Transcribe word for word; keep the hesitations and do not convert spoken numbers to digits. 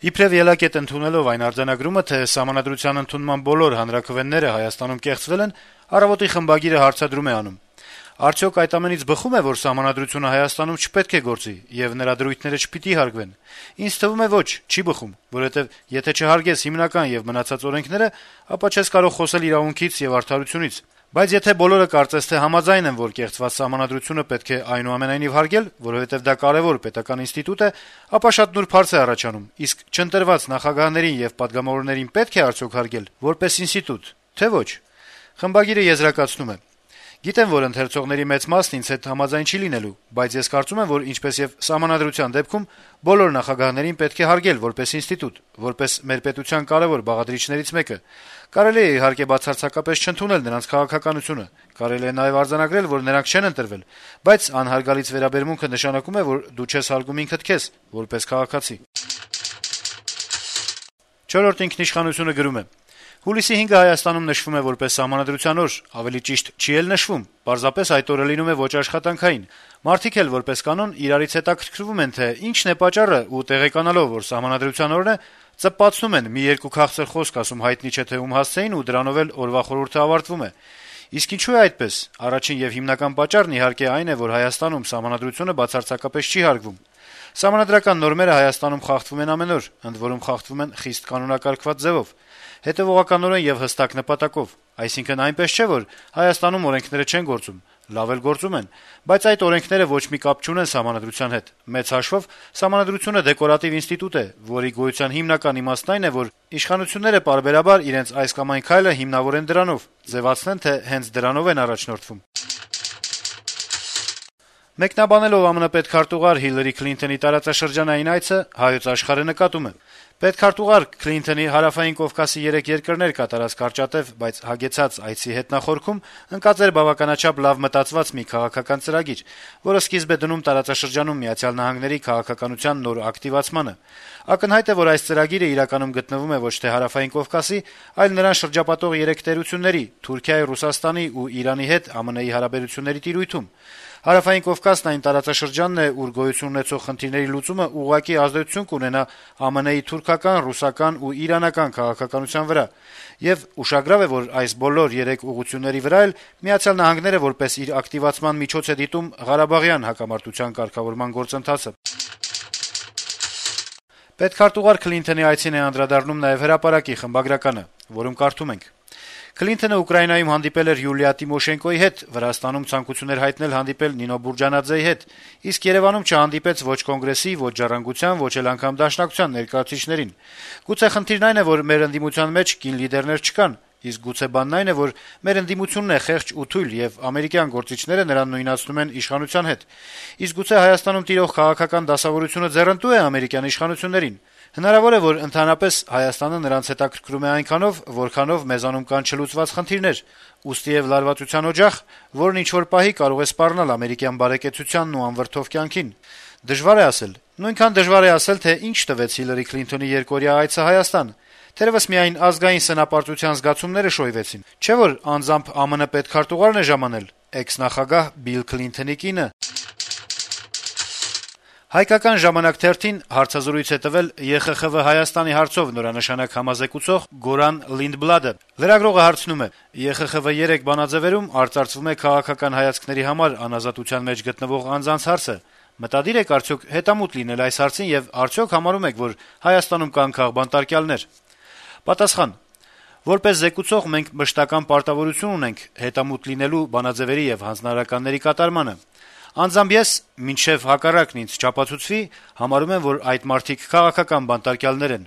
Իբրեւ ելակետ ընդունելով այն արձանագրումը, թե Սահմանադրության ընդունման բոլոր հանրաքվեները Հայաստանում կեղծվել են, «Առավոտ»-ի խմբագիրը հարցադրում է անում. - «Արդյոք այդ ամենից բխում է, որ Սահմանադրությունը Հայաստանում չպետք է գործի, եւ նրա դրույթները չպիտի հարգվեն։ Ինձ թվում է ոչ, չի բխում, որովհետեւ եթե չհարգես հիմնական եւ մնացած օրենքները, ապա չես կարող խոսել իրավունքից եւ արդարությունից։ Բայց եթե բոլորը կարծես թե համաձայն են, որ կեղծված Սահմանադրությունը պետք է այնուամենայնիվ հարգել, որովհետեւ դա կարեւոր պետական ինստիտուտ է, ապա շատ նուրբ հարց է առաջանում. իսկ չընտրված նախագահներին եւ պատգամավորներին պետք է արդյոք հարգել որպես ինստիտուտ, թե ոչ»։ Խմբագիրը եզրակացնում է. - «Գիտեմ, որ ընթերցողների մեծ մասն ինձ հետ համաձայն չի լինելու, բայց ես կարծում եմ, որ ինչպես եւ Սահմանադրության դեպքում բոլոր նախագահներին պետք է հարգել որպես ինստիտուտ, որպես մեր պետության կարեւոր բաղադրիչներից մեկը։ Կարելի է իհարկե բացարձակապես չընդունել նրանց քաղաքականությունը, կարելի է նաեւ արձանագրել, որ նրանք չեն ընտրվել, բայց անհարգալից վերաբերմունքը նշանակում է, որ դու չես հարգում ինքդ քեզ որպես քաղաքացի»։ «Չորրորդ ինքնիշխանություն»-ը գրում է. - «Հուլիսի հինգը Հայաստանում նշվում է որպես Սահմանադրության օր, ավելի ճիշտ չի էլ նշվում, պարզապես այդ օրը լինում է ոչ աշխատանքային։ Մարդիկ էլ որպես կանոն իրարից հետաքրքրվում են, թե ինչն է պատճառը, ու տեղեկանալով, որ Սահմանադրության օրն է, ծպացնում են, մի երկու քաղցր խոսք ասում հայտնի չէ թե ում հասցեին, ու դրանով էլ օրվա խորհուրդը ավարտվում է։ Իսկ ինչու է այդպես։ Առաջին եւ հիմնական պատճառն իհարկե այն է, որ Հայաստանում Սահմանադրությունը բացարձակապես չի հարգվում։ Սահմանադրական նորմերը Հայաստանում խախտվում են ամեն օր, ընդ որում խախտվում են խիստ կանոնակարգված ձևով, հետեւողականորեն եւ հստակ նպատակով։ Այսինքն այնպես չէ, որ Հայաստանում օրենքները չեն գործում, լավ էլ գործում են, բայց այդ օրենքները ոչ մի կապ չունեն Սահմանադրության հետ։ Մեծ հաշվով Սահմանադրությունը դեկորատիվ ինստիտուտ է, որի գոյության հիմնական իմաստն այն է, որ իշխանությունները պարբերաբար իրենց այս կամ այն քայլը հիմնավորեն դրանով, ձեւացնեն, թե հենց դրանով են առաջնորդվում»։ Մեկնաբանելով ԱՄՆ պետքարտուղար Հիլարի Քլինթոնի տարածաշրջանային այցը, «Հայոց Աշխարհ»-ը նկատում է. - «Պետքարտուղար Քլինթոնի Հարավային Կովկասի երեք երկրներ կատարած կարճատեւ, բայց հագեցած այցի հետնախորքում ընկած էր բավականաչափ լավ մտածված մի քաղաքական ծրագիր, որը սկիզբ է դնում տարածաշրջանում Միացյալ Նահանգների քաղաքականության նոր ակտիվացմանը։ Ակնհայտ է, որ այս ծրագիրը իրականում գտնվում է ոչ թե Հարավային Կովկասի, այլ նրան շրջապատող երեք տերությունների՝ Թուրքիայի, Ռուսաստանի ու Իրանի հետ ԱՄՆ-ի հարաբերությունների տիրույթում։ Հարավային Կովկասն այն տարածաշրջանն է, ուր գոյություն ունեցող խնդիրների լուծումը ուղղակի ազդեցություն կունենա ԱՄՆ-ի թուրքական, ռուսական ու իրանական քաղաքականության վրա, եւ ուշագրավ է, որ այս բոլոր երեք ուղղությունների վրա էլ Միացյալ Նահանգները որպես իր ակտիվացման միջոց է դիտում Ղարաբաղյան հակամարտության կարգավորման գործընթացը»։ Պետքարտուղար Քլինթոնի այցին է անդրադառնում նաեւ Հրապարակի խմբագրականը, որում կարդում ենք. - «Քլինթոնը Ուկրաինայում հանդիպել էր Յուլիա Տիմոշենկոյի հետ, Վրաստանում ցանկություն էր հայտնել հանդիպել Նինո Բուրջանաձեի հետ, իսկ Երեւանում չհանդիպեց ոչ կոնգրեսի, ոչ ժառանգության, ոչ էլ անգամ դաշնակցության ներկայացուցիչներին։ Գուցե խնդիրն այն է, որ մեր ընդդիմության մեջ կին լիդերներ չկան, իսկ գուցե բանն այն է, որ մեր ընդդիմությունն է խեղճ ու թույլ, եւ ամերիկյան գործիչները նրան նույնացնում են իշխանության հետ։ Իսկ գուցե Հայաստանում տիրող քաղաքական դասավորությունը ձեռնտու է ամերիկյան իշխանություններին։ Հնարավոր է, որ ընդհանրապես Հայաստանը նրանց հետաքրքրում է այնքանով, որքանով մեզանում կան չլուծված խնդիրներ, ուստիեւ լարվածության օջախ, որն ինչ-որ պահի կարող է սպառնալ ամերիկյան բարեկեցությանն ու անվրդով կյանքին։ Դժվար է ասել։ Նույնքան դժվար է ասել, թե ինչ տվեց Հիլարի Քլինթոնի երկօրյա այցը Հայաստան։ Թերևս միայն ազգային սնապարտության զգացումները շոյվեցին։ Չէ՞ որ անձամբ ԱՄՆ պետքարտուղարն է ժամանել, էքս-նախագահ Բիլ Քլինթոնի կինը»։ «Հայկական ժամանակ» թերթին հարցազրույց է տվել Է Խ Խ V Հայաստանի հարցով նորանշանակ համազեկուցող Գորան Լինդբլադը։ Լրագրողը հարցնում է. - «Է Խ Խ V երեք բանաձեւերում արծարծվում է քաղաքական հայացքների համար անազատության մեջ գտնվող անձանց հարցը։ Մտադիր եք արդյոք հետամուտ լինել այս հարցին եւ արդյոք համարում եք, որ Հայաստանում կան քաղբանտարկյալներ»։ Պատասխան. - «Որպես զեկուցող մենք մշտական պարտավորություն ունենք հետամուտ լինելու բանաձեւերի եւ հանձնարարականների կատարմանը։ Անձամբ ես, մինչեւ հակառակն ինձ չապացուցվի, համարում եմ, որ այդ մարդիկ քաղաքական բանտարկյալներ են»։